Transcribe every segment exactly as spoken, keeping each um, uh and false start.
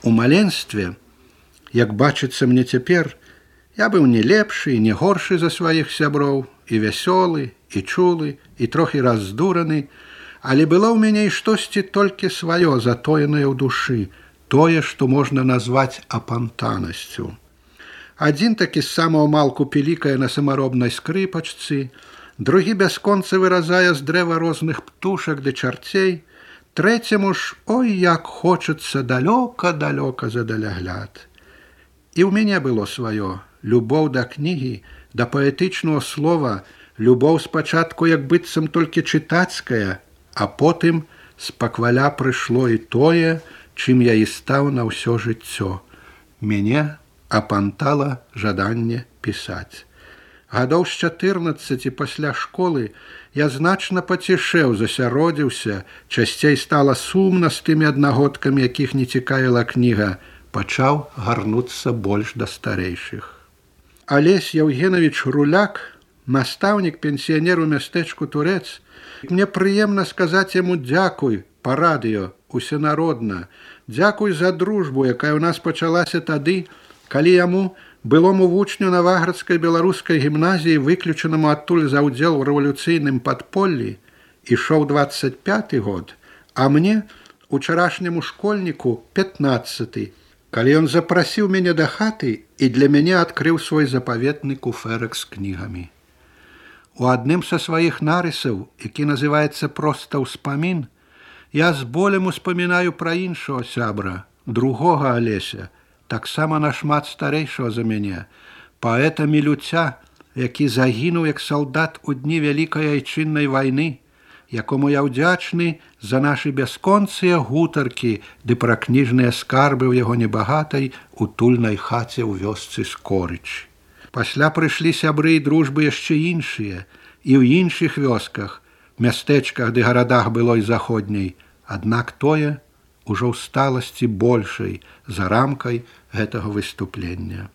У маленстве, як бачыцца мне цяпер, я быў не лепшы і не горшы за сваіх сяброў, і вясёлы, і чулы, і трохі раздураны, але было ў мяне і штосьці толькі сваё, затоенае ў душы, тое, што можна назваць апантанасцю. Адзін такі з самого малку пілікае на самаробнай скрыпачцы, другі бясконца выразае з дрэва розных птушак ды чарцей, трэцяму ж, ой, як хочацца далёка-далёка за далягляд. І ў мяне было сваё, любоў да кнігі, да паэтычнага слова, любоў спачатку як быццам толькі чытацкая, а потым спакваля прыйшло і тое, чым я і стаў на ўсё жыццё. Мяне апантала жаданне пісаць. Гадоў з чатырнаццаці пасля школы я значна пацішэў, засяродзіўся, часцей стала сумна з тымі аднагодкамі, якіх не цікавіла кніга, пачаў гарнуцца больш да старэйшых. Алесь Яўгенавіч Руляк, настаўнік, пенсіянер у мястэчку Турэц, мне прыемна сказаць яму дзякуй па радыё, усенародна, дзякуй за дружбу, якая ў нас пачалася тады, калі яму, былому вучню Наваградскай беларускай гімназіі, выключанаму адтуль за ўдзел у рэвалюцыйным падполлі, ішоў дваццаць пяты год, а мне, учарашняму школьніку, пятнаццаты, калі ён запрасіў мяне да хаты і для мяне адкрыў свой запаветны куфэрак з кнігамі. У адным са сваіх нарысаў, які называецца проста «Успамін», я з болем успамінаю пра іншого сябра, другога Алеся, таксама нашмат старэйшого за мяне, паэта Мілюця, які загінуў як салдат у дні вялікай айчыннай вайны, якому я ўдзячны за нашы бясконцыя гутаркі ды пра кніжныя скарбы ў яго небагатай утульнай хаце ў вёсцы Скорыч. Пасля прыйшлі сябры і дружбы яшчэ іншыя, і ў іншых вёсках, мястэчках ды гарадах былой заходняй, аднак тое ўжо ў сталасці большай за рамкай гэтага выступлення.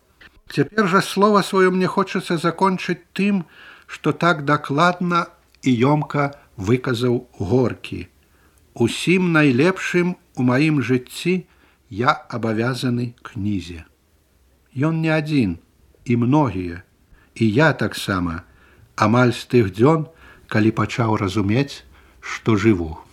Цяпер жа слова сваё мне хочацца закончыць тым, што так дакладна і ёмка выказаў Горкі. Усім найлепшым у маім жыцці я абавязаны кнізе. Ён не адзін, і многія, і я таксама, амаль з тых дзён, калі пачаў разумець, што жыву.